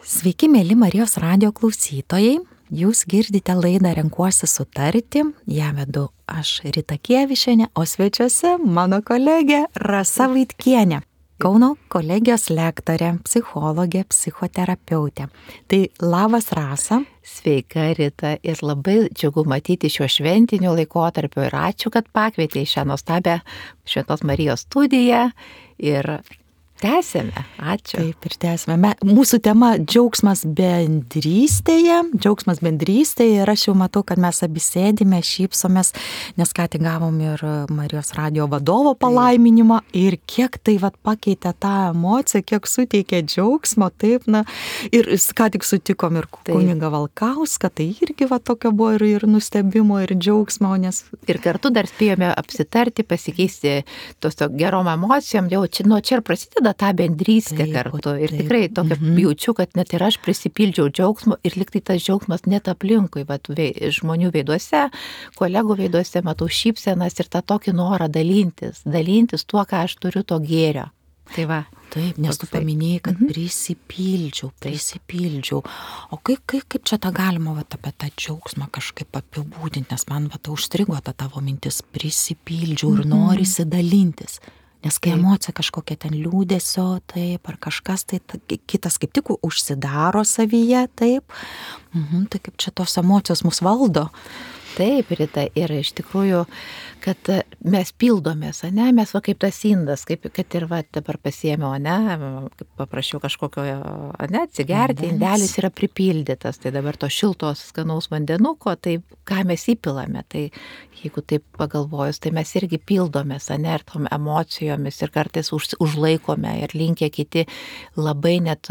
Sveiki, mėly Marijos radijo klausytojai. Jūs girdite laidą Renkuosi sutarti. Ją vedu aš, Rita Kievišienė, o svečiuose mano kolegė Rasa Vaitkienė. Kauno kolegijos lektorė, psichologė, psichoterapeutė. Tai labas, Rasa. Sveika, Rita, ir labai džiugu matyti šiuo šventiniu laikotarpiu ir ačiū, kad pakvietė į šią nuostabią Šventos Marijos studiją ir tęsėme. Ačiū. Taip, ir tęsime. Mūsų tema džiaugsmas bendrystėje. Džiaugsmas bendrystėje ir aš jau matau, kad mes abi sėdime, šypsomės, nes ką tik gavom ir Marijos radijo vadovo palaiminimą ir kiek tai pakeitė tą emociją, kiek suteikė džiaugsmo, taip, ir ką tik sutikom ir kunigą Valkauską, tai irgi tokio buvo ir nustebimo, ir džiaugsmo, nes... Ir kartu dar spėjome apsitarti, pasikeisti tos gerom emocijom, jau čia ir prasideda tą bendrystę kartu. Ir tikrai tokia jaučiu, kad net ir aš prisipildžiau džiaugsmo ir liktai tas džiaugsmas net aplinkui, žmonių veiduose, kolegų veiduose matau šypsenas ir tą tokį norą dalintis tuo, ką aš turiu to gėrio. Tai va. Taip, nes tu paminėjai, kad prisipildžiau. O kaip čia tą galima apie tą džiaugsmą kažkaip apibūdinti, nes man užstrigo ta tavo mintis, prisipildžiau ir norisi dalintis. Nes kai emocija kažkokia ten liūdesio, taip, ar kažkas, tai kitas kaip tik užsidaro savyje, taip. Tai kaip čia tos emocijos mus valdo. Taip, Rita, ir iš tikrųjų, kad mes pildomės, mes kaip tas indas, kad ir dabar pasiėmiau, kaip paprašiau kažkokio, atsigerti, indelis yra pripildytas, tai dabar to šiltos skanaus vandenuko, tai ką mes įpilame, tai jeigu taip pagalvojus, tai mes irgi pildomės, ir tom emocijomis ir kartais užlaikome ir linkę kiti labai net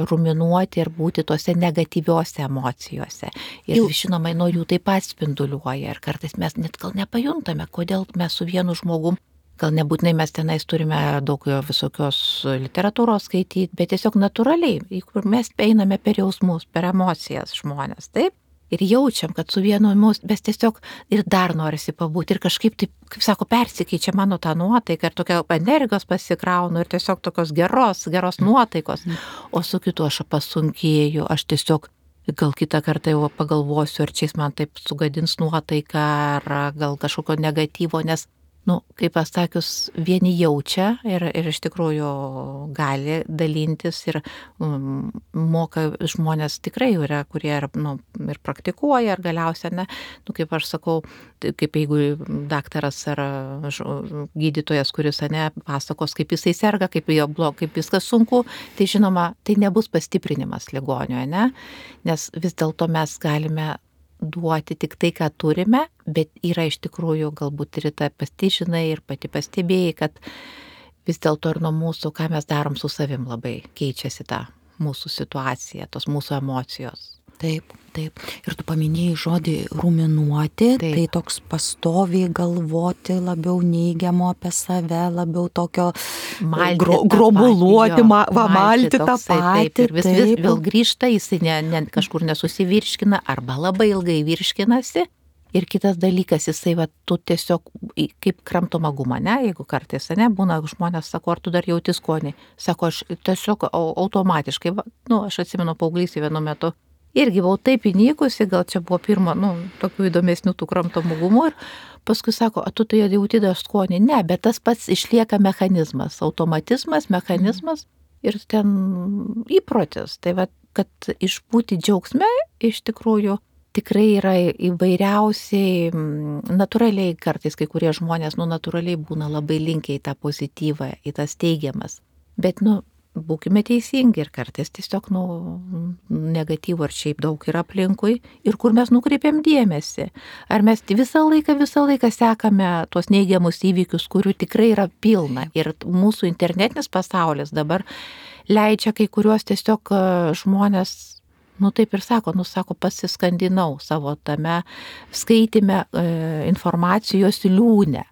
ruminuoti ir būti tose negatyviose emocijose. Ir žinoma, nuo jų taip pat spinduliuoja ir kartais mes net gal nepajuntame, kodėl mes su vienu žmogum, gal nebūtinai mes tenais turime daug visokios literatūros skaityti, bet tiesiog natūraliai, kur mes einame per jausmus, per emocijas žmonės, taip? Ir jaučiam, kad su vienu mes tiesiog ir dar norisi pabūti ir kažkaip taip, kaip sako, persikeičia mano tą nuotaiką ir tokia energijos pasikraunu ir tiesiog tokios geros nuotaikos, o su kitu aš pasunkėju, aš tiesiog gal kitą kartą jau pagalvosiu, ar čia jis man taip sugadins nuotaiką, ar gal kažkokio negatyvo, nes, kaip pasakius, vieni jaučia ir iš tikrųjų gali dalintis ir moka žmonės tikrai yra, kurie ir praktikuoja, ir galiausiai, kaip aš sakau, kaip jeigu daktaras ar gydytojas, kuris pasakos, kaip jisai serga, kaip viskas sunku, tai žinoma, tai nebus pastiprinimas ligonio, nes vis dėlto mes galime duoti tik tai, ką turime, bet yra iš tikrųjų galbūt ir ta pati žinai ir pati pastebėjai, kad vis dėlto ir nuo mūsų, ką mes darom su savim, labai keičiasi ta mūsų situacija, tos mūsų emocijos. Taip. Ir tu paminėjai žodį ruminuoti, tai toks pastoviai galvoti, labiau neigiamo apie save, labiau tokio grobuluoti, malti tą patį. Ir vis vėl grįžta, jisai kažkur nesusivirškina arba labai ilgai virškinasi. Ir kitas dalykas, jisai, tu tiesiog kaip kramtoma guma, jeigu kartais, būna žmonės, sako, ar tu dar jauti skonį. Sako, aš tiesiog automatiškai, aš atsimenu paauglystėje vienu metu, irgi buvau taip įnykusi, gal čia buvo pirma, tokių įdomesnių tų kramtomų gumų ir paskui sako, tu tai jauti dar skonį. Ne, bet tas pats išlieka mechanizmas, automatizmas, mechanizmas ir ten įprotis. Tai kad išbūti džiaugsme iš tikrųjų tikrai yra įvairiausiai, natūraliai kartais kai kurie žmonės, natūraliai būna labai linkę į tą pozityvą, į tas teigiamas. Bet, būkime teisingi ir kartais tiesiog negatyvų ar šiaip daug yra aplinkui ir kur mes nukreipiam dėmesį. Ar mes visą laiką sekame tuos neigiamus įvykius, kurių tikrai yra pilna. Ir mūsų internetinis pasaulis dabar leidžia kai kuriuos tiesiog žmonės, taip ir sako, pasiskandinau savo tame skaitime informacijos liūne.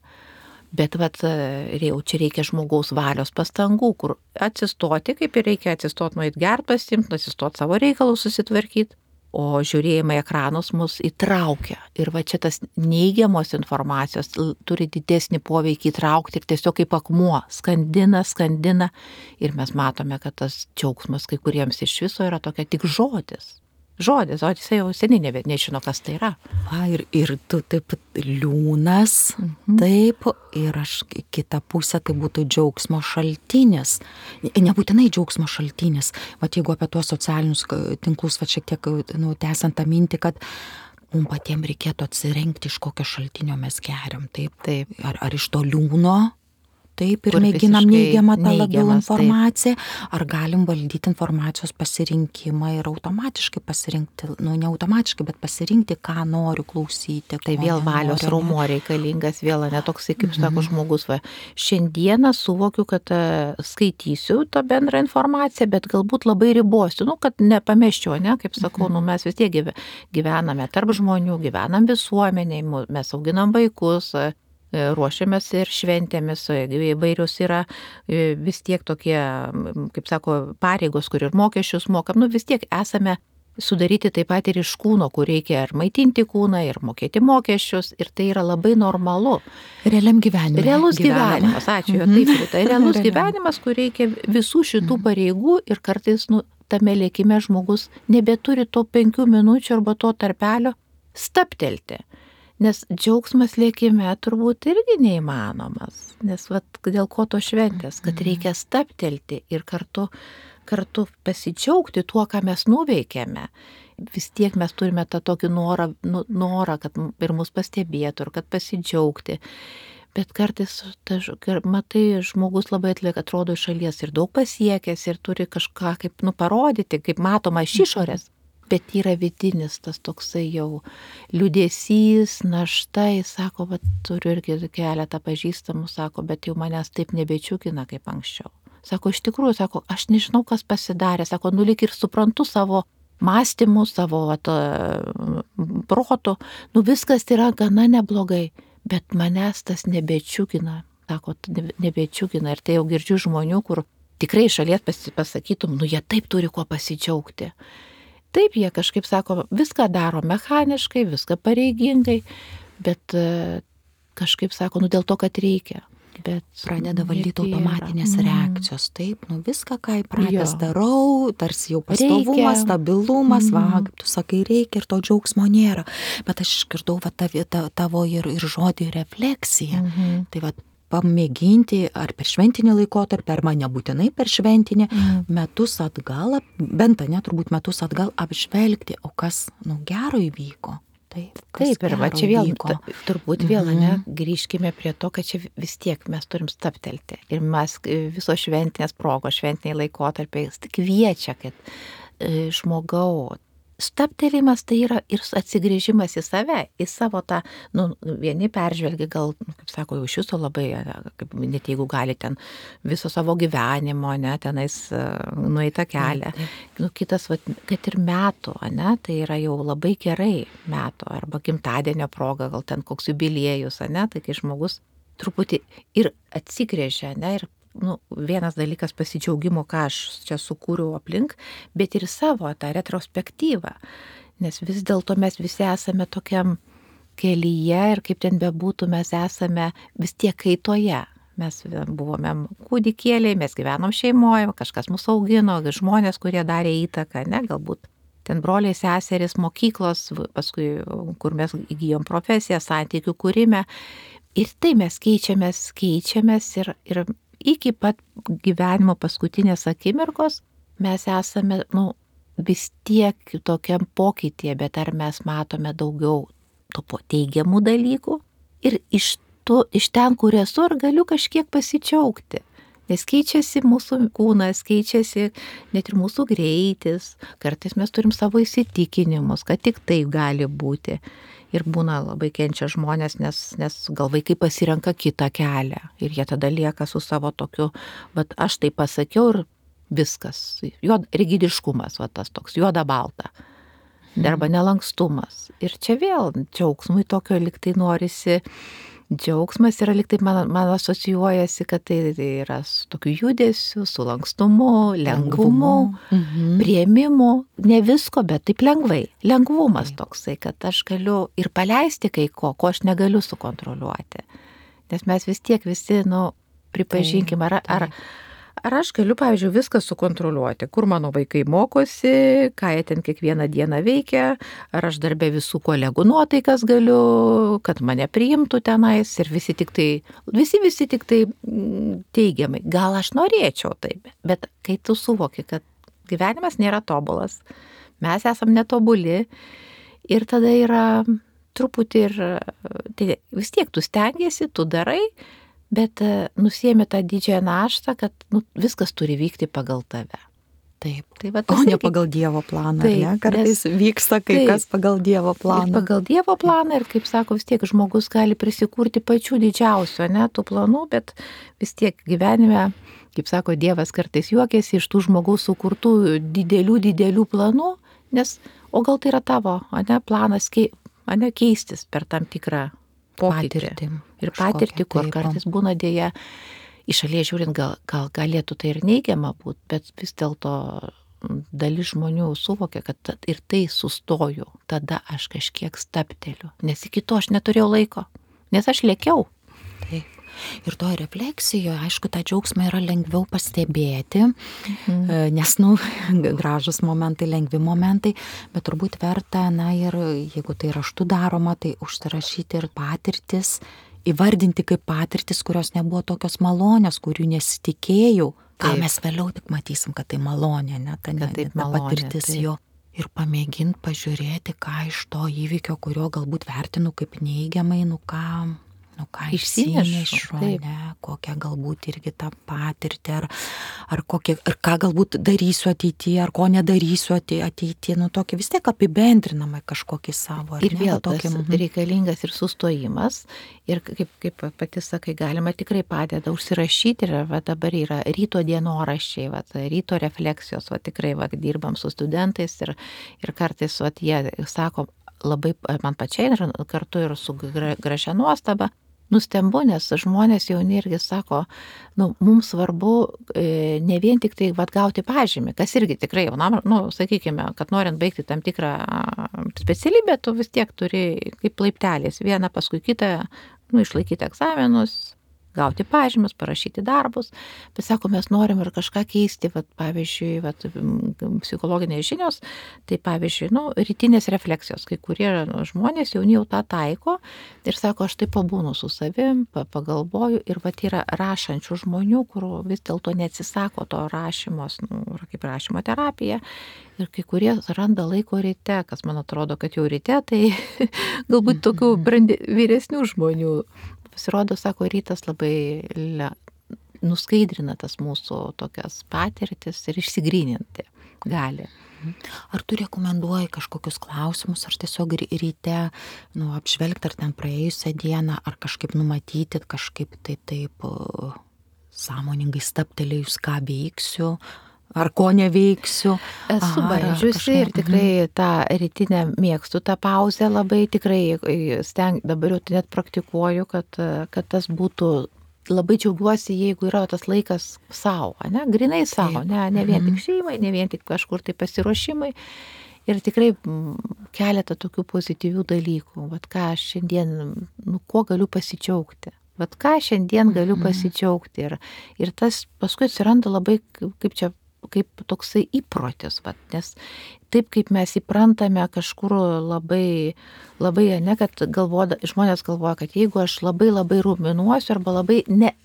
Bet jau čia reikia žmogaus valios pastangų, kur atsistoti, kaip ir reikia atsistoti, nueit gert pasiimti, atsistoti savo reikalus susitvarkyti. O žiūrėjimai ekranus mus įtraukia. Ir va čia tas neigiamos informacijos turi didesnį poveikį įtraukti ir tiesiog kaip akmuo skandina. Ir mes matome, kad tas džiaugsmas kai kuriems iš viso yra tokia tik žodis, o jisai jau seniai nežino, kas tai yra. Ir tu taip liūnas, taip, ir aš kita pusė tai būtų džiaugsmo šaltinis. Nebūtinai džiaugsmo šaltinis. Vat jeigu apie tuos socialinius tinklus, vat šiek tiek tęsiant tą mintį, kad mums patiems reikėtų atsirinkti, iš kokio šaltinio mes geriam. Taip. Ar iš to liūno? Taip, ir mėginam neigiamą tą labiau informaciją, ar galim valdyti informacijos pasirinkimą ir automatiškai pasirinkti, ne automatiškai, bet pasirinkti, ką noriu klausyti. Tai vėl valios raumuo reikalingas, vėl netoksai, kaip sako žmogus, šiandieną suvokiu, kad skaitysiu tą bendrą informaciją, bet galbūt labai ribosiu, kad nepameščiau, kaip sakau, mes vis tiek gyvename tarp žmonių, gyvenam visuomeniai, mes auginam vaikus, ruošiamės ir šventėmis, įvairios yra vis tiek tokie, kaip sako, pareigos, kur ir mokesčius mokam, vis tiek esame sudaryti taip pat ir iš kūno, kur reikia ir maitinti kūną, ir mokėti mokesčius, ir tai yra labai normalu. Realiam gyvenime. Realus gyvenimas, ačiū, taip, tai realus gyvenimas, kur reikia visų šitų pareigų ir kartais tame lėkime žmogus nebeturi to 5 minučių arba to tarpelio staptelti. Nes džiaugsmas lėkime turbūt irgi neįmanomas, nes dėl ko to šventės, kad reikia staptelti ir kartu pasidžiaugti tuo, ką mes nuveikėme. Vis tiek mes turime tą tokį norą, kad ir mus pastebėtų, ir kad pasidžiaugti. Bet kartais, matai, žmogus labai atrodo iš šalies ir daug pasiekęs ir turi kažką kaip parodyti, kaip matoma iš išorės. Bet yra vidinis tas toksai jau liūdesys, našta, jis sako, turiu irgi keletą pažįstamų, sako, bet jau manęs taip nebečiukina kaip anksčiau. Sako, iš tikrųjų, sako, aš nežinau, kas pasidarė, sako, lyg ir suprantu savo mąstymų, savo proto, viskas yra gana neblogai, bet manęs tas nebečiukina, sako, nebečiukina. Ir tai jau girdžiu žmonių, kur tikrai iš šalies pasakytum, jie taip turi kuo pasidžiaugti. Taip, jie kažkaip sako, viską daro mechaniškai, viską pareigingai, bet kažkaip sako, dėl to, kad reikia. Bet pradeda valdyti automatinės reakcijos, taip, viską, ką įpratęs darau, tarsi jau pastovumas, stabilumas, kaip tu sakai, reikia ir to džiaugsmo nėra. Bet aš išgirdau tavo ir žodį refleksiją. Tai pamėginti ar per šventinį laikotarpį, ar man nebūtinai per šventinį, metus atgal, bent turbūt metus atgal apžvelgti, o kas gero įvyko. Taip, ir čia vėl, turbūt vėl, grįžkime prie to, kad čia vis tiek mes turim staptelti. Ir mes visos šventinės progos, šventiniai laikotarpiai kviečia, kad žmogau, staptelėjimas tai yra ir atsigrėžimas į save, į savo tą, vieni peržvelgia gal, kaip sako, jau iš jūsų labai, net jeigu gali ten viso savo gyvenimo, tenais nueitą kelią. Kitas, kad ir metų, tai yra jau labai gerai metų, arba gimtadienio proga, gal ten koks jubiliejus, tai kai žmogus truputį ir atsigrėžia, ir vienas dalykas pasidžiaugimo, ką aš čia sukūriau aplink, bet ir savo tą retrospektyvą, nes vis dėlto mes visi esame tokiam kelyje ir kaip ten bebūtų, mes esame vis tiek kaitoje. Mes buvome kūdikėliai, mes gyvenom šeimoje, kažkas mus augino, žmonės, kurie darė įtaką, galbūt ten broliai, seserys, mokyklos, paskui, kur mes įgyjom profesiją, santykių kūrime. Ir tai mes keičiamės ir iki pat gyvenimo paskutinės akimirkos mes esame, vis tiek tokiam pokytyje, bet ar mes matome daugiau tų teigiamų dalykų ir iš ten, kur esu, ar galiu kažkiek pasidžiaugti. Nes keičiasi mūsų kūnas, keičiasi net ir mūsų greitis, kartais mes turim savo įsitikinimus, kad tik taip gali būti. Ir būna labai kenčia žmonės, nes gal vaikai pasirenka kitą kelią ir jie tada lieka su savo tokiu, aš tai pasakiau ir viskas, rigidiškumas, tas toks juoda balta, arba nelankstumas. Ir čia vėl džiaugsmui tokio liktai norisi Džiaugsmas yra lyg taip man asocijuojasi, kad tai yra su tokiu judesiu, su lankstumu, lengvumu, priėmimu, ne visko, bet taip lengvai. Lengvumas toksai, kad aš galiu ir paleisti kai ko aš negaliu sukontroliuoti. Nes mes vis tiek visi, pripažinkim, ar aš galiu, pavyzdžiui, viską sukontroliuoti, kur mano vaikai mokosi, ką jie ten kiekvieną dieną veikia, ar aš darbę visų kolegų nuotaikas galiu, kad mane priimtų tenais ir visi tik tai teigiamai. Gal aš norėčiau taip, bet kai tu suvoki, kad gyvenimas nėra tobulas, mes esam netobuli ir tada yra truputį ir tai vis tiek tu stengiesi, tu darai, bet nusiemi tą didžiąją naštą, kad viskas turi vykti pagal tave. Taip. O ne pagal Dievo planą. Taip, ne? Kartais vyksta kas pagal Dievo planą. Ir pagal Dievo planą ir, kaip sako, vis tiek žmogus gali prisikurti pačių didžiausių, tų planų, bet vis tiek gyvenime, kaip sako, Dievas kartais juokiasi iš tų žmogaus sukurtų didelių planų, o gal tai yra tavo, planas keistis per tam tikrą pokytį. Ir patirtį, kur kartais būna dėja, iš šalies žiūrint, gal galėtų tai ir neigiama būti, bet vis dėlto dalis žmonių suvokia, kad ir tai sustoju, tada aš kažkiek stabteliu, nes iki to aš neturėjau laiko, nes aš lėkiau. Taip. Ir to refleksijoje, aišku, tą džiaugsmą yra lengviau pastebėti, nes, gražus momentai, lengvi momentai, bet turbūt verta, ir jeigu tai raštu daroma, tai užsirašyti ir patirtis, įvardinti kaip patirtis, kurios nebuvo tokios malonės, kurių nesitikėjau, gal mes vėliau tik matysim, kad tai malonė, ta patirtis jo. Ir pamėginti pažiūrėti, ką iš to įvykio, kurio galbūt vertinu kaip neigiamai, ką išsinešu, kokią galbūt irgi tą patirtį, ar ką galbūt darysiu ateityje, ar ko nedarysiu ateityje, tokį vis tiek apibendrinamą kažkokį savo. Ir vėl tas reikalingas ir sustojimas, ir kaip pati sakai, galima tikrai padeda užsirašyti, ir dabar yra ryto dienoraščiai, ryto refleksijos, tikrai dirbam su studentais ir kartais jie sako labai man pačiai ir kartu ir su gražia nuostaba, nustembu, nes žmonės jauni irgi sako, mums svarbu ne vien tik tai gauti pažymį, kas irgi tikrai jaunam, sakykime, kad norint baigti tam tikrą specialybę, tu vis tiek turi kaip laiptelės, vieną paskui kitą, išlaikyti egzaminus, gauti pažymius, parašyti darbus, bet sako, mes norim ir kažką keisti, pavyzdžiui, psichologinės žinios, tai pavyzdžiui, rytinės refleksijos, kai kurie žmonės jauni jau tą taiko ir sako, aš tai pabūnu su savim, pagalvoju ir yra rašančių žmonių, kur vis dėlto neatsisako to rašymos, kaip rašymo terapija, ir kai kurie randa laiko ryte, kas man atrodo, kad jau ryte, tai galbūt tokių vyresnių žmonių. Pasirodo, sako, rytas labai nuskaidrina tas mūsų tokias patirtis ir išsigryninti gali. Ar tu rekomenduoji kažkokius klausimus, ar tiesiog ryte apžvelgti, ar ten praėjusią dieną, ar kažkaip numatyti, kažkaip tai taip sąmoningai stabtelėjus, ką veiksiu, ar ko neveiksiu. Esu bandžiusi ir tikrai tą rytinę mėgstu, tą pauzę labai tikrai dabar jau net praktikuoju, kad tas būtų, labai džiaugiuosi, jeigu yra tas laikas savo, grinai savo, ne vien tik šeimai, ne vien tik kažkur tai pasiruošimai. Ir tikrai keletą tokių pozityvių dalykų, ką aš šiandien, kuo galiu pasidžiaugti. Ką šiandien galiu pasidžiaugti. Ir tas paskui atsiranda labai, kaip toksai įprotis, nes taip kaip mes įprantame kažkur labai, kad žmonės galvoja, kad jeigu aš labai ruminuosiu arba labai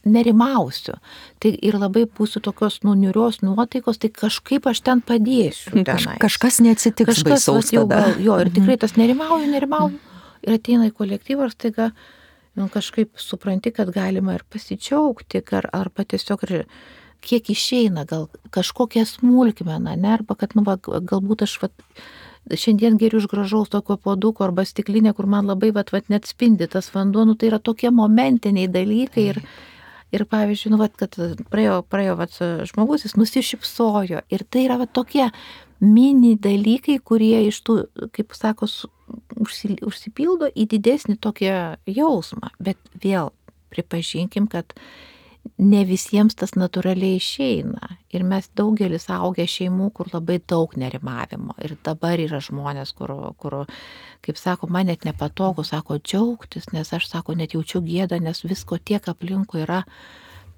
nerimausiu, tai ir labai būsiu tokios niūrios nuotaikos, tai kažkaip aš ten padėsiu. Kažkas neatsitiks baisaus tada. Ir tikrai tas nerimauju ir ateina į kolektyvą ir staiga kažkaip supranti, kad galima ir pasidžiaugti, arba tiesiog ir kiek išeina, gal kažkokia smulkmena, arba kad, galbūt aš šiandien geriu iš gražaus tokio puoduko arba stiklinė, kur man labai net spindi tas vanduo, tai yra tokie momentiniai dalykai ir pavyzdžiui, kad praėjo žmogus, jis nusišypsojo ir tai yra tokie mini dalykai, kurie iš tų, kaip sako, užsipildo į didesnį tokį jausmą. Bet vėl pripažinkim, kad ne visiems tas natūraliai išeina. Ir mes daugelis augę šeimų, kur labai daug nerimavimo. Ir dabar yra žmonės, kur kaip sako, man net nepatogu, sako, džiaugtis, nes aš, sako, net jaučiu gėdą, nes visko tiek aplinkui yra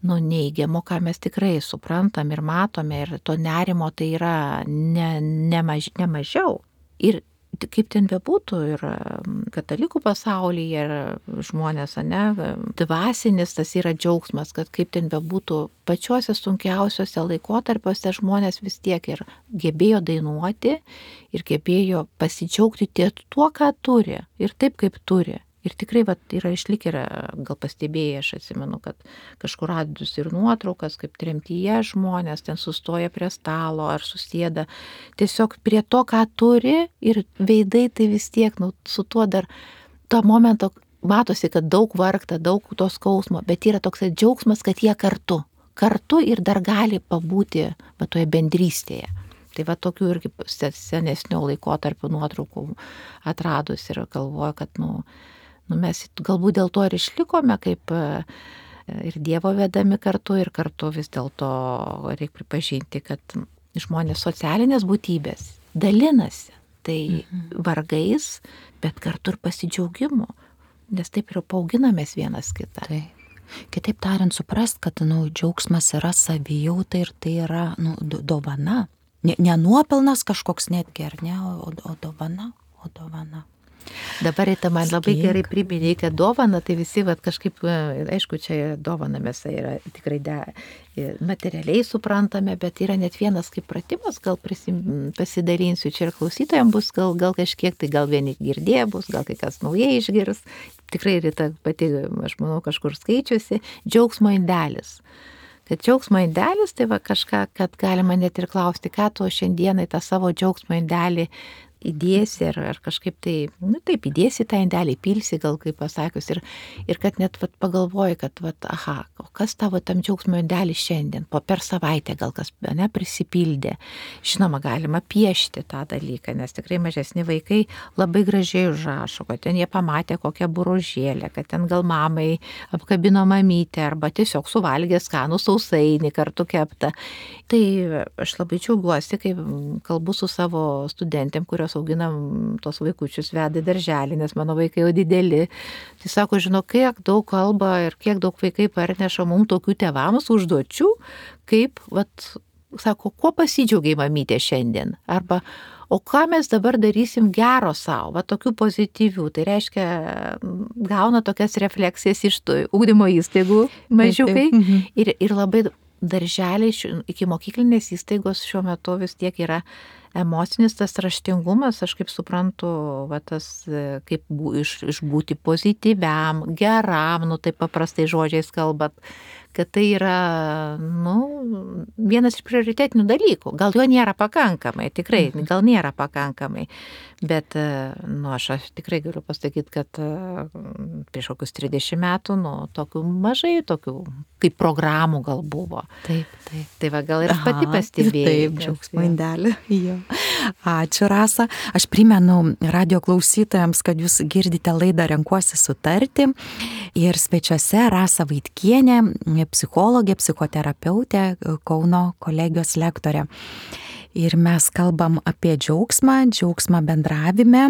neigiamo, ką mes tikrai suprantam ir matome. Ir to nerimo tai yra ne mažiau. Ir kaip ten bebūtų, ir katalikų pasaulyje, ir žmonės, dvasinis tas yra džiaugsmas, kad kaip ten bebūtų, pačiuose sunkiausiuose laikotarpiuose žmonės vis tiek ir gebėjo dainuoti, ir gebėjo pasidžiaugti tuo, ką turi, ir taip, kaip turi. Ir tikrai yra išlikę, gal pastebėjai, aš atsimenu, kad kažkur radus ir nuotraukas, kaip tremtyje žmonės ten sustoja prie stalo ar susėda tiesiog prie to, ką turi, ir veidai tai vis tiek, su tuo dar to momento matosi, kad daug vargta, daug to skausmo, bet yra toks džiaugsmas, kad jie kartu ir dar gali pabūti toje bendrystėje. Tai tokių irgi senesnių laikotarpių nuotraukų atradus ir galvoju, kad mes galbūt dėl to ir išlikome, kaip ir Dievo vedami kartu, ir kartu vis dėlto reikia pripažinti, kad žmonės socialinės būtybės dalinasi tai vargais, bet kartu ir pasidžiaugimu, nes taip ir paauginamės vienas kitą. Tai. Kitaip tariant, suprast, kad džiaugsmas yra savijauta ir tai yra dovana. Ne nuopelnas kažkoks netgi, ar ne, o dovana. Dabar tai man labai gerai priminė, kad dovana, tai visi kažkaip, aišku, čia dovana mes yra tikrai materialiai suprantame, bet yra net vienas kaip pratimas, gal pasidalinsiu, čia ir klausytojams bus gal kažkiek, tai gal vieni girdėję bus, gal kai kas naujai išgirs, tikrai Rita pati, aš manau, kažkur skaičiusi, džiaugsmo indelis. Kad džiaugsmo indelis, tai kažką, kad galima net ir klausti, ką tu šiandienai tą savo džiaugsmo indelį įdėsi, ar kažkaip tai, taip, įdėsi tą indelį, pilsi, gal kaip pasakius, ir kad net pagalvoji, kad, o kas tavo tam džiaugsmo indelį šiandien, per savaitę gal kas prisipildė. Žinoma, galima piešti tą dalyką, nes tikrai mažesni vaikai labai gražiai užrašo, kad ten jie pamatė kokią burožėlę, kad ten gal mamai apkabino mamytę, arba tiesiog suvalgė skanų sausainį kartu keptą. Tai aš labai džiaugiuosi, kai kalbu su savo studentėm, kurios auginam tos vaikučius, veda į darželį, nes mano vaikai jau dideli. Tai sako, žinau, kiek daug kalba ir kiek daug vaikai parneša mums tokių tėvams užduočių, kaip, sako, kuo pasidžiaugiai mamytė šiandien? Arba, o ką mes dabar darysim gero savo, tokių pozityvių. Tai reiškia, gauna tokias refleksijas iš ugdymo įstaigų mažiukai. Ir labai darželiai, iki mokyklinės įstaigos šiuo metu vis tiek yra emocinis tas raštingumas, aš kaip suprantu, tas kaip išbūti pozityviam, geram, taip paprastai žodžiais kalbant, kad tai yra, vienas iš prioritetinių dalykų. Gal jo nėra pakankamai, tikrai, gal nėra pakankamai, bet, aš tikrai galiu pasakyti, kad prieš kokius 30 metų, tokių mažai, tokių kaip programų gal buvo. Taip. Tai gal ir pati pastebėjai. Taip, džiaugsmo indelį. Ačiū, Rasa. Aš primenu radio klausytojams, kad jūs girdite laidą Renkuosi sutarti. Ir svečiuose Rasa Vaitkienė, psichologė, psichoterapeutė, Kauno kolegijos lektorė. Ir mes kalbam apie džiaugsmą bendravime,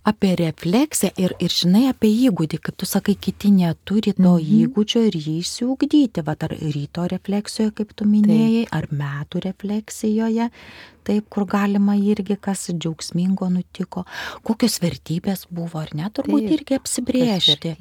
apie refleksiją ir žinai, apie įgūdį, kaip tu sakai, kiti neturi to įgūdžio ir jį išsiugdyti. Ar ryto refleksijoje, kaip tu minėjai, ar metų refleksijoje, taip, kur galima irgi, kas džiaugsmingo nutiko, kokios vertybės buvo, ar ne, turbūt irgi apsibrėžti.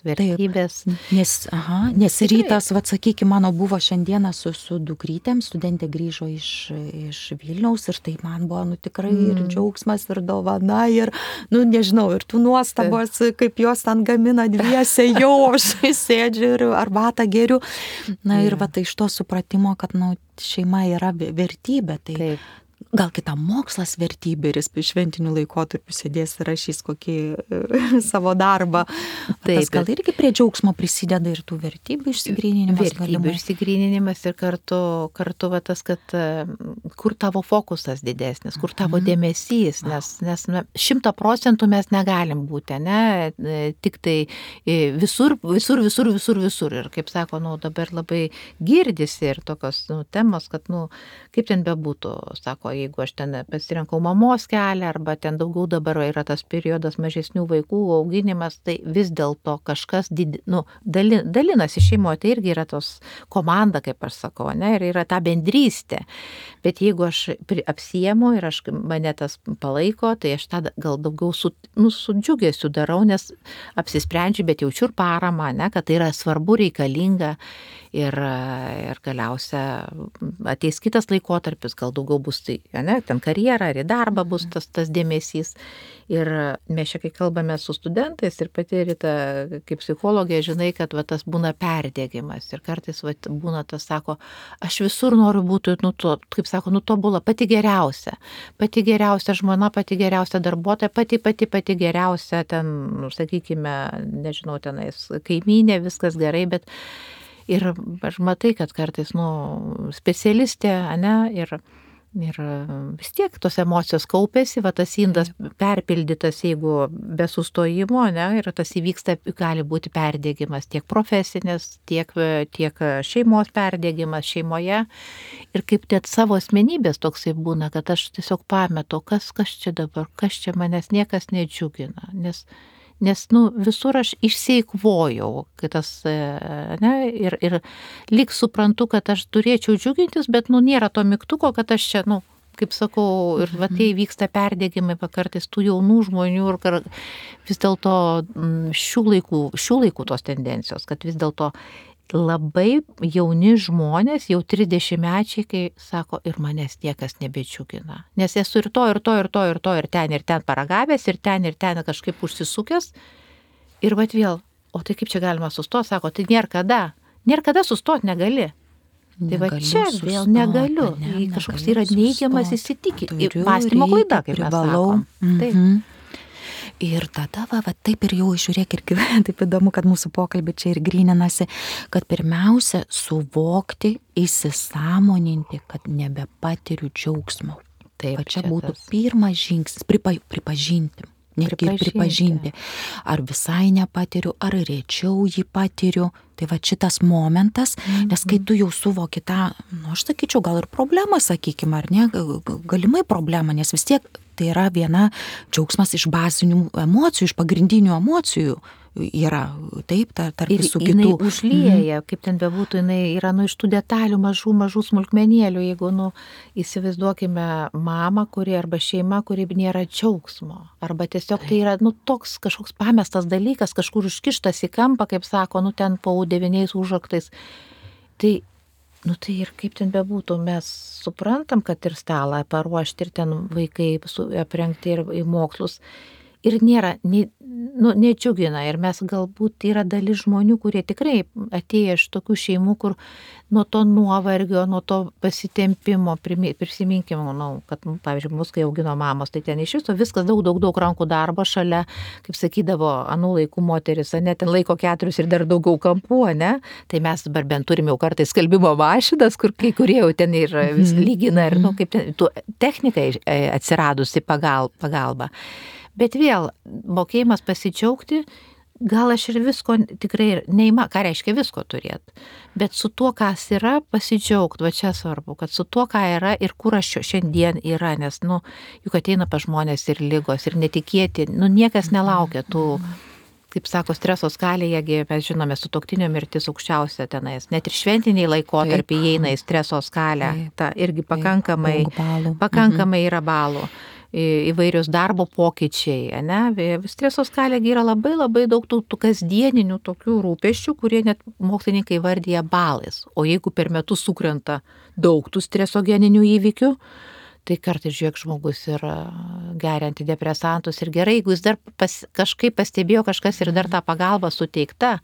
Vertybės. Nes rytas, sakykime, mano buvo šiandieną su dukrytėm, studentė grįžo iš Vilniaus ir tai man buvo, tikrai ir džiaugsmas, ir dovana, ir, nežinau, ir tų nuostabos, kaip jos ten gamina dviese, jau aš sėdžiu ir arbatą geriu. Ir tai iš to supratimo, kad, šeima yra vertybė. Tai gal kitam mokslas vertybė ir jis šventinių laikotarpių sėdės ir rašys kokį savo darbą. Tas gal irgi prie džiaugsmo prisideda ir tų vertybių išsigryninimas. Vertybių išsigryninimas ir kartu va tas, kad kur tavo fokusas didesnis, kur tavo dėmesys, nes 100% mes negalim būti, ne, tik tai visur. Ir kaip sako, dabar labai girdisi ir tokios temos, kad, kaip ten bebūtų, sako, jeigu aš ten pasirinkau mamos kelią, arba ten daugiau dabar yra tas periodas mažesnių vaikų auginimas, tai vis dėlto kažkas dalinasi šeimoje, tai irgi yra tos komanda, kaip aš sakau, ne, ir yra ta bendrystė. Bet jeigu aš apsiemu ir mane tas palaiko, tai aš tada gal daugiau su džiugesiu darau, nes apsisprendžiu, bet jaučiu ir paramą, ne, kad tai yra svarbu, reikalinga ir galiausia ateis kitas laikotarpis, gal daugiau bus tai, ne, ten karjera ar į darbą bus tas dėmesys. Ir mes čia, kai kalbame su studentais ir pati Rita, kaip psichologė, žinai, kad tas būna perdėgymas ir kartais būna tas, sako, aš visur noriu būti, kaip sako, tobula, pati geriausia žmona, pati geriausia darbuotoja, pati geriausia ten, sakykime, nežinau, tenais kaimynė, viskas gerai, bet ir aš matai, kad kartais, specialistė, ne, ir vis tiek tos emocijos kaupėsi, tas indas perpildytas, jeigu be sustojimo, ne, ir tas įvyksta, gali būti perdėgymas tiek profesinis, tiek šeimos perdėgymas šeimoje. Ir kaip net savo asmenybės toksai būna, kad aš tiesiog pametu, kas čia dabar, kas čia manęs niekas nedžiugina, nes visur aš išseikvojau, ne, ir lyg suprantu, kad aš turėčiau džiugintis, bet nėra to mygtuko, kad aš čia, kaip sakau, ir tai vyksta perdėgymai kartais tų jaunų žmonių ir vis dėlto šių laikų tos tendencijos, kad vis dėlto labai jauni žmonės, jau 30-mečiai, kai sako, ir manęs niekas nebedžiugina. Nes esu ir ten paragavęs, ir ten kažkaip užsisukęs. Ir vėl, o tai kaip čia galima sustoti, sako, tai nėra kada sustoti negali. Tai čia vėl negaliu. Kažkoks yra neigiamas įsitikinimas. Mąstymo klaida, kaip mes sakom. Taip. Ir tada, taip ir jau žiūrėk ir taip įdomu, kad mūsų pokalbį čia ir gryninasi, kad pirmiausia suvokti, įsisąmoninti, kad nebepatiriu džiaugsmo. Taip, čia būtų pirmas žingsnis, pripažinti. Netgi pripažinti, ar visai nepatiriu, ar rečiau jį patiriu. Tai šitas momentas, nes kai tu jau suvoki tą, aš sakyčiau, gal ir problemą, sakykime, ar ne, galimai problemą, nes vis tiek tai yra viena džiaugsmas iš bazinių emocijų, iš pagrindinių emocijų yra, taip, tarp visų kitų. Ir jinai užlieja, kaip ten bebūtų, jinai yra iš tų detalių mažų smulkmenėlių, jeigu, įsivaizduokime mamą, kuri arba šeima, kuri nėra džiaugsmo, arba tiesiog tai yra, toks kažkoks pamestas dalykas, kažkur užkištas į kampą, kaip sako, ten po 9 užraktais. Tai ir kaip ten bebūtų, mes suprantam, kad ir stalą paruošti, ir ten vaikai aprengti ir į mokslus. Ir nėra, nedžiugina. Ir mes galbūt yra dalis žmonių, kurie tikrai atėję iš tokių šeimų, kur nuo to nuovargio, nuo to pasitempimo, prisiminkime, kad, pavyzdžiui, mus, kai augino mamos, tai ten iš viso viskas daug rankų darbo šalia, kaip sakydavo, anų laikų moteris, ne, ten laiko 4 ir dar daugiau kampų, ne? Tai mes dabar bent turime jau kartais skalbimo mašinas, kur kai kurie jau ten ir vis lygina, ir, kaip ten, technikai atsiradusi pagalba. Bet vėl, mokėjimas pasidžiaugti, gal aš ir visko tikrai ką reiškia visko turėti, bet su tuo, kas yra, pasidžiaugti, čia svarbu, kad su tuo, ką yra ir kur aš šiandien yra, nes, juk ateina pas žmonės ir ligos, ir netikėti, niekas nelaukia tų, kaip sako, streso skalėje, mes žinome, sutuoktinio mirtis aukščiausia tenais, net ir šventiniai laikotarpiai įeina į streso skalę, ta irgi pakankamai yra balų. Įvairius darbo pokyčiai, ne? Streso skalėje yra labai daug tų kasdieninių tokių rūpesčių, kurie net mokslininkai vardyja balais. O jeigu per metus sukrenta daug tų stresogeninių įvykių, tai kartais, žiūrėk, žmogus ir geria antidepresantus ir gerai, jeigu jis dar kažkaip pastebėjo kažkas ir dar tą pagalbą suteikta,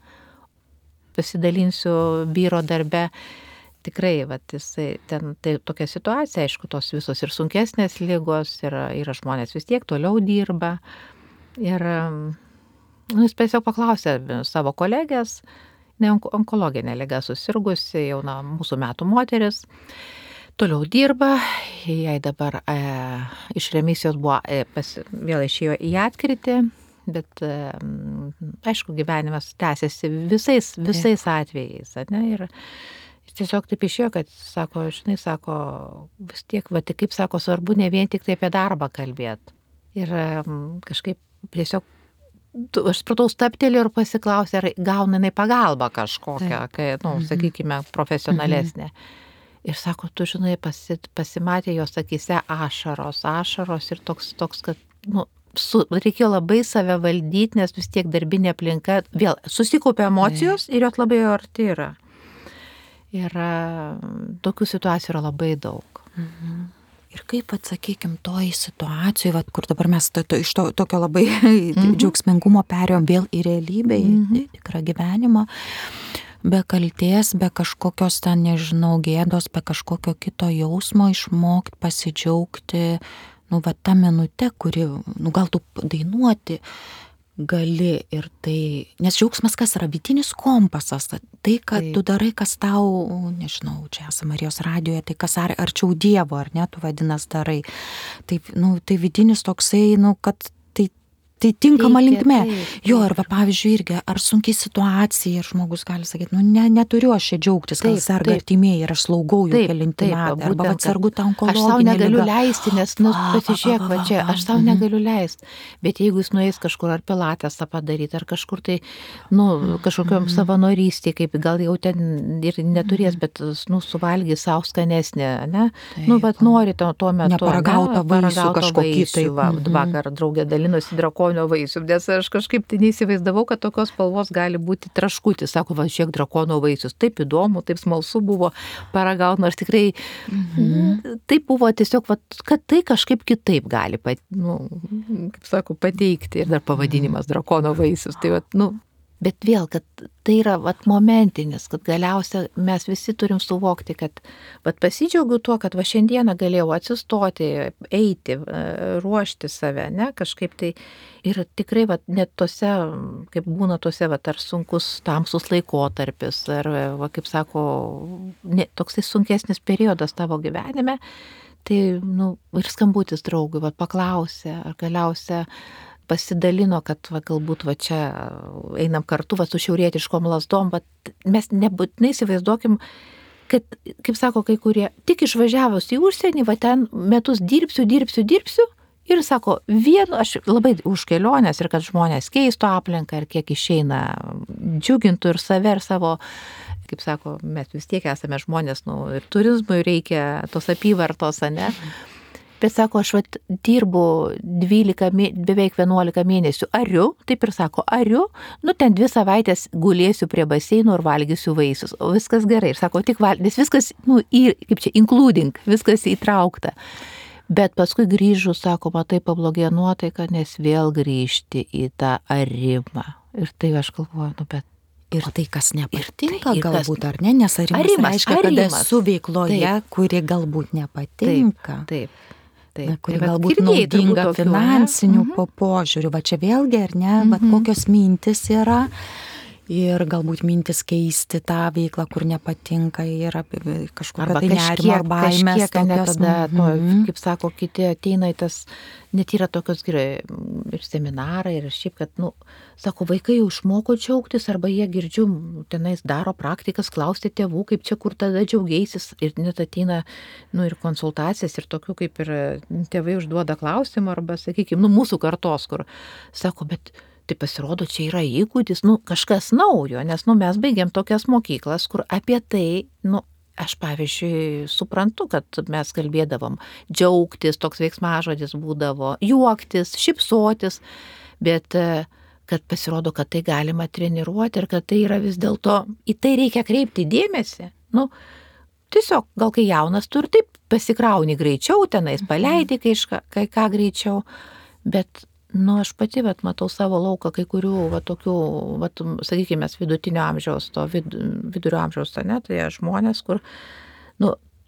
pasidalinsiu vyro darbe, tikrai, jisai ten tai tokia situacija, aišku, tos visos ir sunkesnės ligos, yra žmonės vis tiek toliau dirba. Ir jis tiesiog paklausė savo kolegės, onkologinė liga susirgusi, jauna mūsų metų moteris, toliau dirba, jai dabar iš remisijos buvo, vėl išėjo į atkritį, bet aišku, gyvenimas tęsiasi visais atvejais, ne? Ir tiesiog taip išėjo, kad sako, žinai, sako, vis tiek, kaip sako, svarbu ne vien tik tai apie darbą kalbėti. Ir kažkaip tiesiog aš supratau, stabtelėjau ir pasiklausė, ar gauna jinai pagalbą kažkokią, kai, sakykime, profesionalesnė. Ir sako, tu žinai, pasimatė jos akyse ašaros ir toks, kad, reikėjo labai save valdyti, nes vis tiek darbinė aplinka, vėl susikaupė emocijos ir jos labai arti yra. Ir tokių situacijų yra labai daug. Ir kaip, atsakykim, toj situacijoj, kur dabar mes iš tokio labai džiaugsmingumo perėjom vėl į realybę, į tikrą gyvenimą, be kaltės, be kažkokios ten, nežinau, gėdos, be kažkokio kito jausmo išmokti, pasidžiaugti, tą minutę, kuri, gal tu dainuoti gali ir tai, nes džiaugsmas kas yra vidinis kompasas, tai, kad tu darai, kas tau, nežinau, čia esame Marijos radijoje, tai kas arčiau Dievo, ar ne, tu vadinas darai. Tai vidinis toksai, kad tai tinkama linkme. Jo, arba pavyzdžiui irgi, ar sunkiai situacija, ir žmogus gali sakyti, neturiu aš čia džiaugtis, gal serga artimieji ir aš slaugau jau kelintį metą, arba atsargu tą onkologinę ligą. Aš sau negaliu leisti, nes, pasižiūrėk, čia, aš sau negaliu leisti. Bet jeigu jis nueis kažkur ar pilatesą padaryti, ar kažkur tai, kažkokiom savanorystė, kaip gal jau ten ir neturės, bet, suvalgys sau skanesnė, ne? Nori tuo metu. Neparagautą vaisių kažkokį. Vakar draugė dalinosi drakonų vaisių, nes aš kažkaip tai neįsivaizdavau, kad tokios spalvos gali būti traškutis. Sako, šiek drakono vaisius. Taip įdomu, taip smalsu buvo paragauti, nors tikrai taip buvo tiesiog, kad tai kažkaip kitaip gali, kaip sako, pateikti. Ir dar pavadinimas drakono vaisius. Tai bet vėl, kad tai yra momentinis, kad galiausia mes visi turim suvokti, kad pasidžiaugiu tuo, kad šiandieną galėjau atsistoti, eiti, ruošti save, ne, kažkaip tai. Ir tikrai net tose, kaip būna tose, ar sunkus tamsus laikotarpis, ar, kaip sako, toksai sunkesnis periodas tavo gyvenime, tai, ir skambutis draugui, paklausė, ar galiausia pasidalino, kad galbūt čia einam kartu su šiaurietiškom lasdom, bet mes nebūtinai įsivaizduokim, kad, kaip sako kai kurie, tik išvažiavus į užsienį, ten metus dirbsiu, ir sako, aš labai už kelionės ir kad žmonės keistų aplinką ir kiek išeina džiugintų ir save ir savo, kaip sako, mes vis tiek esame žmonės, ir turizmui reikia tos apyvartos, ne? Bet sako, aš dirbu beveik 11 mėnesių, taip ir sako, ten 2 savaitės gulėsiu prie baseino ir valgysiu vaisius, o viskas gerai. Ir sako, tik nes viskas, kaip čia, including, viskas įtraukta. Bet paskui grįžu, sako, matai, pablogėjo nuotaika, nes vėl grįžti į tą arimą. Ir tai aš galvoju, bet. Ir tai, kas nepatinka galbūt, ar ne? Nes arimas reiškia, kad esu veikloje, kuri galbūt nepatinka. Taip. Kuri galbūt naudinga finansinių požiūrių. Čia vėlgi, ar ne, kokios mintis yra. Ir galbūt mintis keisti tą veiklą, kur nepatinka, yra kažkokia tai nerimo ar baimės. Tada, kaip sako, kiti ateina į tas, net yra tokios gerai ir seminarai, ir šiaip, kad, sako, vaikai jau išmoko džiaugtis, arba jie girdžiu, tenais daro praktikas, klausti tėvų, kaip čia, kur tada džiaugeisis, ir net ateina, ir konsultacijas, ir tokių, kaip ir tėvai užduoda klausimą, arba, sakykime, mūsų kartos, kur sako, bet tai pasirodo, čia yra įgūdis, kažkas naujo, nes, mes baigėm tokias mokyklas, kur apie tai, aš, pavyzdžiui, suprantu, kad mes kalbėdavom džiaugtis, toks veiksmažodis būdavo, juoktis, šypsotis, bet kad pasirodo, kad tai galima treniruoti ir kad tai yra vis dėlto, į tai reikia kreipti dėmesį. Tiesiog, gal kai jaunas, tu ir taip pasikrauni greičiau, tenais paleidi kai ką greičiau, bet Nu, aš pati, matau savo lauką kai kurių, tokių, sakykime, vidutinio amžiaus, vidurio amžiaus, ne, tai žmonės, kur,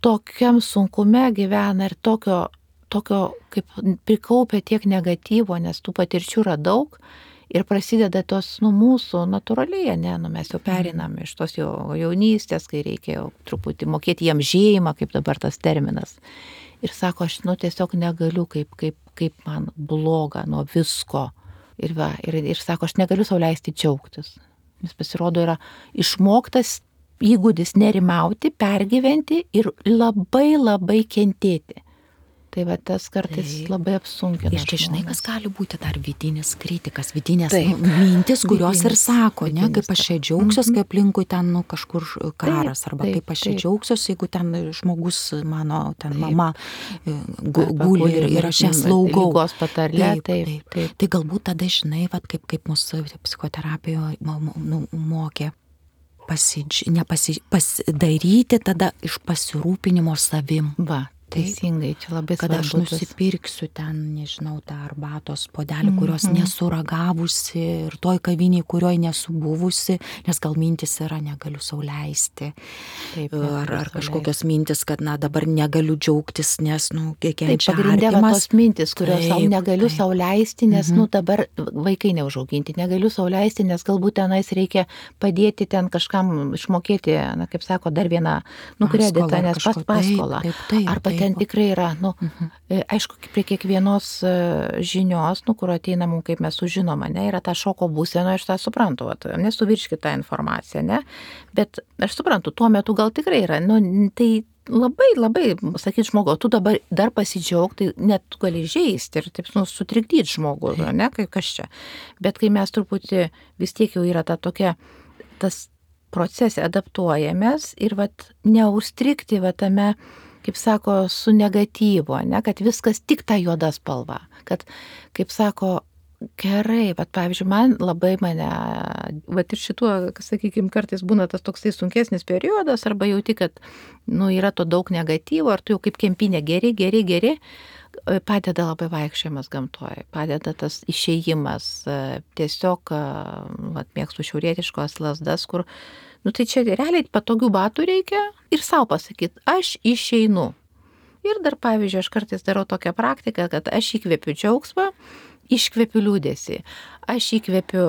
tokiam sunkume gyvena ir tokio, kaip prikaupia tiek negatyvo, nes tų patirčių yra daug ir prasideda tos, mūsų natūraliai, ne, mes jau perinam iš tos jaunystės, kai reikėjo truputį mokėti jam žėjimą, kaip dabar tas terminas. Ir sako, aš, tiesiog negaliu, kaip man bloga nuo visko. Ir sako, aš negaliu sau leisti džiaugtis. Nes pasirodo yra išmoktas įgūdis nerimauti, pergyventi ir labai labai kentėti. Tai tas kartais labai apsunkina. Ir čia žinai, kas gali būti dar vidinis kritikas, vidinės mintis, kurios ir sako, ne, kaip aš čia džiaugsiuos, kai aplinkui ten kažkur karas, arba kaip aš čia džiaugsiuos, jeigu ten žmogus, mano ten mama guli ir aš ją slaugau. Lygos patarlė, taip. Tai galbūt tada, žinai, kaip mūsų psichoterapijoje mokė pasidaryti tada iš pasirūpinimo savim. Teisingai, čia labai kad aš nusipirksiu ten, nežinau, tą arbatos puodelį, kurios nesuragavusi ir toj kavinėj, kurioj nesu buvusi, nes gal mintis yra, negaliu sau leisti. Ar kažkokios mintis, kad dabar negaliu džiaugtis, nes, kenčia artimas. Pagrindė tos mintis, kurios negaliu sau leisti, nes, dabar vaikai neužauginti, negaliu sau leisti, nes galbūt tenais reikia padėti ten kažkam išmokėti, kaip sako, dar vieną kreditą, nes paskolą. Arba ten tikrai yra, aišku, prie kiekvienos žinios, kur ateina mums, kaip mes sužinom, yra ta šoko būsena, aš tą suprantu, nesuvirškit tą informaciją, ne? Bet aš suprantu, tuo metu gal tikrai yra, tai labai, labai, sakyt žmogau, tu dabar dar pasidžiaug, tai net tu gali žeisti ir taip sutrikdyti žmogų, ne, kai kas čia. Bet kai mes truputį vis tiek jau yra ta tokia, tas procese adaptuojamės ir neužstrikti tame, kaip sako, su negatyvu, ne, kad viskas tik ta juoda spalva, kad, kaip sako, gerai, pavyzdžiui, mane, ir šituo, sakykime, kartais būna tas toksai sunkesnis periodas, arba jauti, kad, yra to daug negatyvo, ar tu jau kaip kempinė geri, padeda labai vaikščiojimas gamtoje, padeda tas išėjimas, tiesiog, mėgstu šiaurietiškos lazdas, kur, tai čia realiai patogių batų reikia ir savo pasakyti, aš išeinu. Ir dar, pavyzdžiui, aš kartais darau tokią praktiką, kad aš įkvepiu džiaugsmą, iškvepiu liūdesį. Aš įkvepiu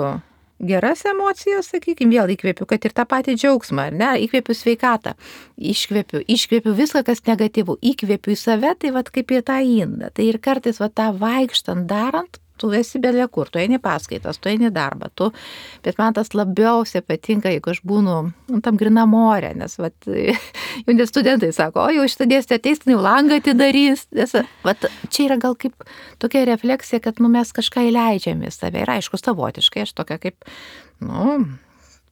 geras emocijas, sakykime, vėl įkvepiu, kad ir tą patį džiaugsmą, ar ne, įkvepiu sveikatą, iškvepiu viską, kas negatyvu, įkvepiu į save, tai kaip į tą indą. Tai ir kartais tą vaikštant, darant, tu esi belie kur, tu eini paskaitas, tu eini darbą, bet man tas labiausiai patinka, jeigu aš būnu tam grina more, nes jauni studentai sako, jau šitą dėstę ateis, jau langą atidarys, nes čia yra gal kaip tokia refleksija, kad mes kažką įleidžiame į save ir aišku, savotiškai, aš tokia kaip,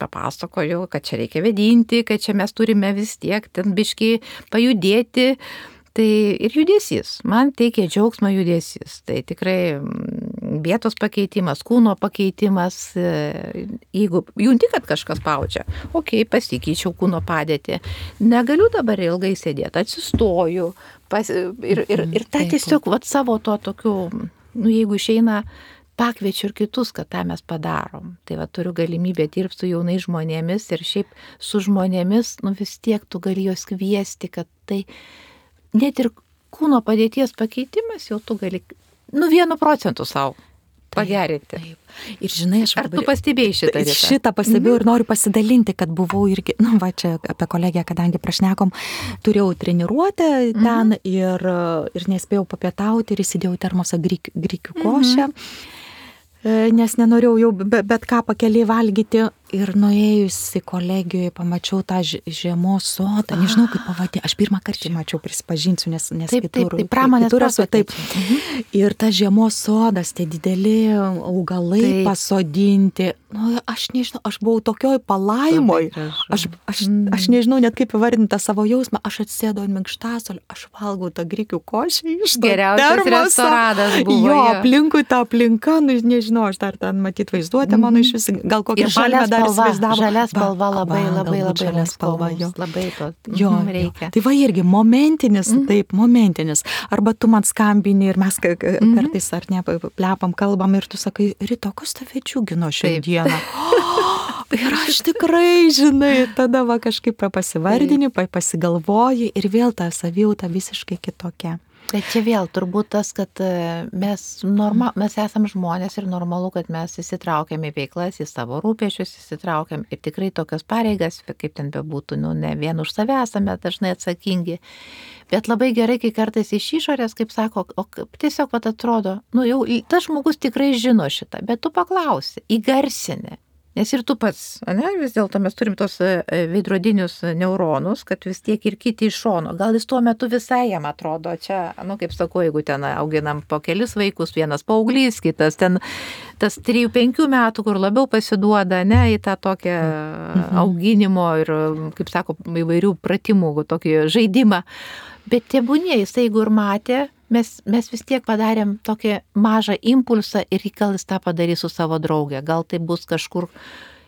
papasakoju, kad čia reikia vedinti, kad čia mes turime vis tiek ten biškį pajudėti. Tai ir judesys, man teikia džiaugsmą judesys, tai tikrai vietos pakeitimas, kūno pakeitimas, jeigu junti, kad kažkas paučia, pasikeičiau kūno padėtį, negaliu dabar ilgai sėdėti, atsistoju ir tą tiesiog savo to tokiu, jeigu išeina, pakviečiu ir kitus, kad tą mes padarom. Tai turiu galimybę dirbti su jaunais žmonėmis ir šiaip su žmonėmis, vis tiek tu gali juos kviesti, kad tai net ir kūno padėties pakeitimas jau tu gali 1% savo pagerinti. Taip. Ir žinai, ar tu pastebėjai šitą? Šitą pastebėjau ir noriu pasidalinti, kad buvau irgi, čia apie kolegę, kadangi prašnekom, turėjau treniruotę ten ir nespėjau papietauti ir įsidėjau termosą grikių košę, nes nenorėjau jau bet ką pakeliai valgyti. Ir nuėjusi kolegijoje pamačiau tą žiemos sodą, nežinau kaip pavadinti, aš pirmą kartą mačiau, prisipažinsiu, nes kitur esu taip. Ir tas žiemos sodas, tie dideli augalai pasodinti, aš nežinau, aš buvau tokioj palaimoj, aš nežinau net kaip įvardinti tą savo jausmą, aš atsėdau ant minkštasolių, aš valgau tą grikių košę iš to geriausias restoranas buvo. Jo, aplinkui tą aplinką, nežinau, aš dar ten matyt vaizduotę mano iš vis, gal kokią palmę dar įsivaizdavo. Žalia spalva labai žalia spalva, jo. Labai to reikia. Tai va irgi momentinis, taip, momentinis. Arba tu man skambini ir mes kartais ar ne, plepam, kalbam ir tu sakai, Rita, kas tave džiugino šiandieną? Ir aš tikrai, žinai, tada va kažkaip pasivardini, pasigalvoji ir vėl ta savijauta visiškai kitokia. Bet čia vėl turbūt tas, kad mes esam žmonės ir normalu, kad mes įsitraukiam į veiklas, į savo rūpesčius įsitraukiam ir tikrai tokias pareigas, kaip ten bebūtų, ne vien už save esame dažnai atsakingi. Bet labai gerai, kai kartais iš išorės, kaip sako, tiesiog pat atrodo, jau tas žmogus tikrai žino šitą, bet tu paklausi, įgarsini. Nes ir tu pats, vis dėlto mes turim tos veidrodinius neuronus, kad vis tiek ir kiti iš šono. Gal jis tuo metu visai jam atrodo, čia, kaip sakau, jeigu ten auginam po kelis vaikus, vienas paauglys, kitas ten tas 3-5 metų, kur labiau pasiduoda, į tą tokią auginimo ir, kaip sako, įvairių pratimų, tokį žaidimą. Bet tebūnie, jis jeigu ir matė, mes vis tiek padarėm tokį mažą impulsą ir gal jis tą padarys su savo draugė. Gal tai bus kažkur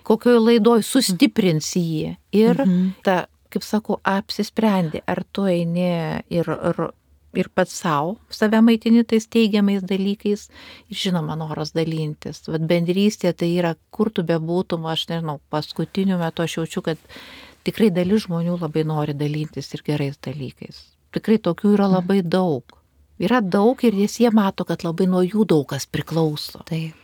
kokioje laidoje sustiprins jį. Ir ta, kaip sakau, apsisprendė, ar tu eini ir pats save maitini tais teigiamais dalykais ir žinoma noras dalintis. Vat bendrystė tai yra, kur tu bebūtum, aš nežinau, paskutiniu metu aš jaučiu, kad tikrai dalis žmonių labai nori dalintis ir gerais dalykais. Tikrai tokių yra labai daug. Yra daug ir jie mato, kad labai nuo jų daug kas priklauso. Taip.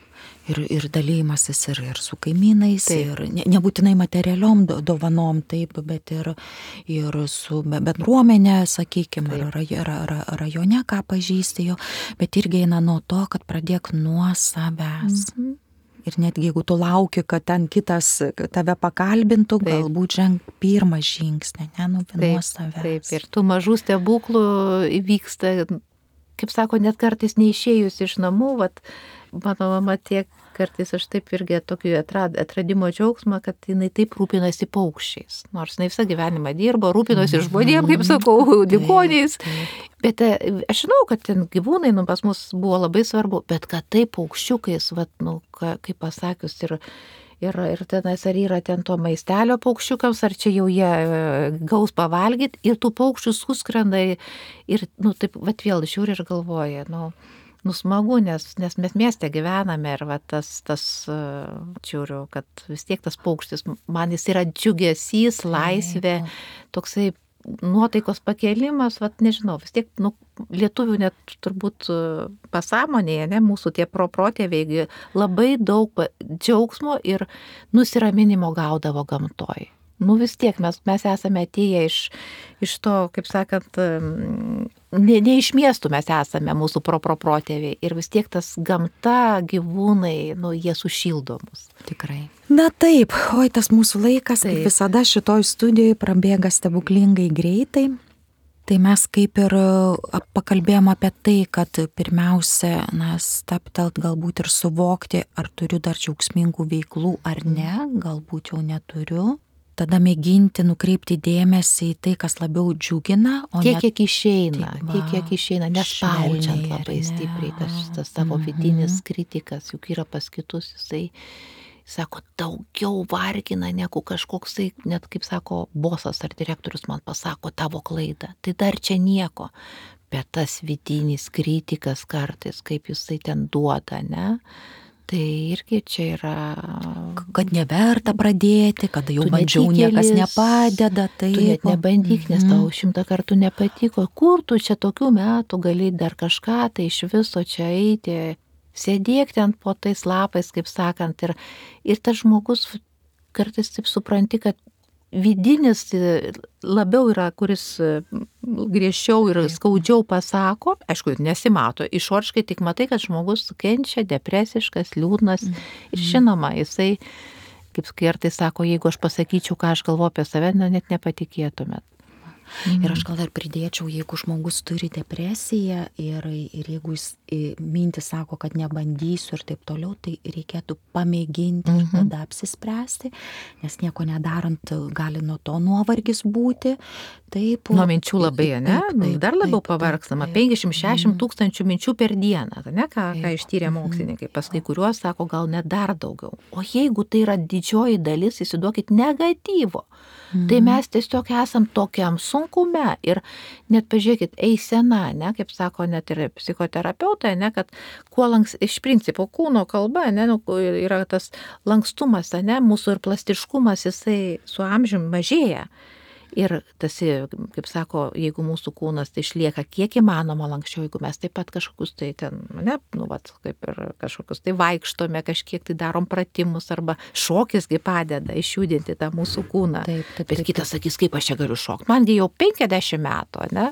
Ir dalymasis ir su kaimynais, ir nebūtinai materialiom dovanom, taip, bet ir su bendruomenė, sakykime, rajone, ką pažįsti jo, bet irgi eina nuo to, kad pradėk nuo savęs. Ir netgi jeigu tu lauki, kad ten kitas tave pakalbintų, galbūt ženk pirmą žingsnį, nuo savęs. Taip, ir tų mažų stebuklų įvyksta, kaip sako, net kartais neišėjus iš namų, mano mama tiek kartais aš taip irgi tokį atradimo džiaugsmą, kad jinai taip rūpinasi paukščiais. Nors jinai visą gyvenimą dirbo, rūpinosi žmonėm, kaip sakau, ligoniais. Bet aš žinau, kad ten gyvūnai pas mus buvo labai svarbu, bet kad taip paukščiukais, kaip pasakius, ir tenais ar yra ten to maistelio paukščiukams, ar čia jau jie gaus pavalgyti, ir tų paukščių suskrenda ir taip, vėl žiūri ir galvoja, smagu, nes mes mieste gyvename ir tas žiūriu, kad vis tiek tas paukštis, man jis yra džiugesys, laisvė, toksai nuotaikos pakėlimas, nežinau, vis tiek, lietuvių net turbūt pasąmonėje, mūsų tie protėviai labai daug džiaugsmo ir nusiraminimo gaudavo gamtoj. Vis tiek mes esame atėję iš to, kaip sakant, ne iš miestų mes esame, mūsų protėviai. Ir vis tiek tas gamta, gyvūnai, jie sušildo mus. Tikrai. Na taip, tas mūsų laikas, kaip visada šitoj studijoje prabėga stebuklingai greitai. Tai mes kaip ir pakalbėjom apie tai, kad pirmiausia, stabtelt galbūt ir suvokti, ar turiu dar džiaugsmingų veiklų ar ne, galbūt jau neturiu. Tada mėginti nukreipti dėmesį į tai, kas labiau džiugina, o tiek, kiek išeina, nespaudžiant labai stipriai, tas tavo vidinis kritikas, juk yra pas kitus, jisai sako, daugiau vargina negu kažkoksai, net kaip sako, bosas ar direktorius man pasako tavo klaidą, tai dar čia nieko, bet tas vidinis kritikas kartais, kaip jisai ten duoda, tai irgi čia yra... Kad neverta pradėti, kada jau bandžiau, niekas nepadeda. Taip. Tu net nebandyk, nes tau 100 kartų nepatiko. Kur tu čia tokių metų gali dar kažką, tai iš viso čia eiti, sėdėk ten po tais lapais, kaip sakant. Ir tas žmogus kartais taip supranti, kad vidinis labiau yra, kuris griežčiau ir skaudžiau pasako, aišku, nesimato, išoriškai tik matai, kad žmogus kenčia, depresiškas, liūdnas ir žinoma, jisai, kaip kartais sako, jeigu aš pasakyčiau, ką aš galvoju apie save, net nepatikėtumėt. Ir aš gal dar pridėčiau, jeigu žmogus turi depresiją ir jeigu jis mintys sako, kad nebandysiu ir taip toliau, tai reikėtų pamėginti ir tada apsispręsti, nes nieko nedarant gali nuo to nuovargis būti. Taip, nuo minčių labai, ne? Dar labiau pavargstama. 50-60 tūkstančių minčių per dieną, ne? Ką ištyrė mokslininkai. Pas kai kuriuos sako, gal net dar daugiau. O jeigu tai yra didžioji dalis, įsivaizduokit, negatyvo, tai mes tiesiog esam tokiam sunkume ir net pažiūrėkit, eisena, ne, kaip sako net ir psichoterapeutai, ne, kad kuo iš principo kūno kalba, ne, yra tas lankstumas, ne, mūsų ir plastiškumas, jisai su amžiumi mažėja. Ir tas, kaip sako, jeigu mūsų kūnas tai išlieka kiek įmanoma lankščiau, jeigu mes taip pat kažkokius tai ten, ne, kaip ir kažkokius tai vaikštome, kažkiek tai darom pratimus arba šokisgi padeda išjudinti tą mūsų kūną. Bet kitas sakys, kaip aš čia galiu šokti. Mangi jau 50 metų, ne?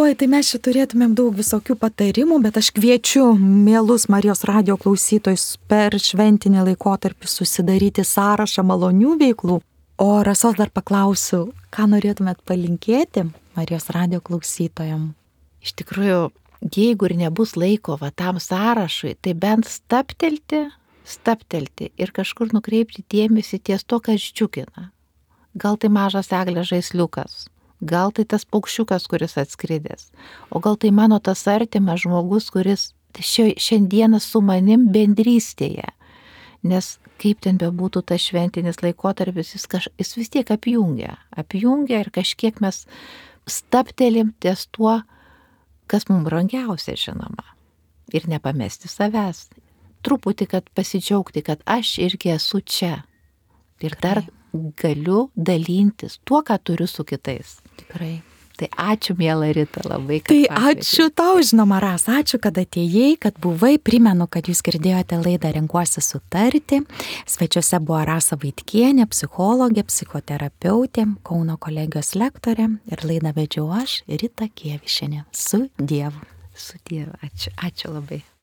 Oi, tai mes čia turėtumėm daug visokių patarimų, bet aš kviečiu mielus Marijos radijo klausytojus per šventinį laikotarpį susidaryti sąrašą malonių veiklų. O Rasos dar paklausiu, ką norėtumėt palinkėti Marijos radijo klausytojam? Iš tikrųjų, jeigu ir nebus laiko tam sąrašui, tai bent staptelti ir kažkur nukreipti dėmesį ties to, kas džiugina. Gal tai mažas eglės žaisliukas, gal tai tas paukščiukas, kuris atskridęs, o gal tai mano tas artimas žmogus, kuris šiandieną su manim bendrystėje. Nes kaip ten bebūtų tas šventinis laikotarpis, jis vis tiek apjungia ir kažkiek mes staptelim ties tuo, kas mums brangiausia, žinoma. Ir nepamesti savęs. Truputį, kad pasidžiaugti, kad aš irgi esu čia. Ir dar galiu dalintis tuo, ką turiu su kitais. Tikrai. Tai ačiū, miela Rita, labai, kad Tai pakvietei. ačiū tau, žinoma, Rasa, ačiū, kad atėjai, kad buvai. Primenu, kad jūs girdėjote laidą Renkuosi sutarti. Svečiuose buvo Rasa Vaitkienė, psichologė, psichoterapeutė, Kauno kolegijos lektorė ir laidą vedžiau aš, Rita Kievišienė. Su Dievu. Su Dievu. Ačiū labai.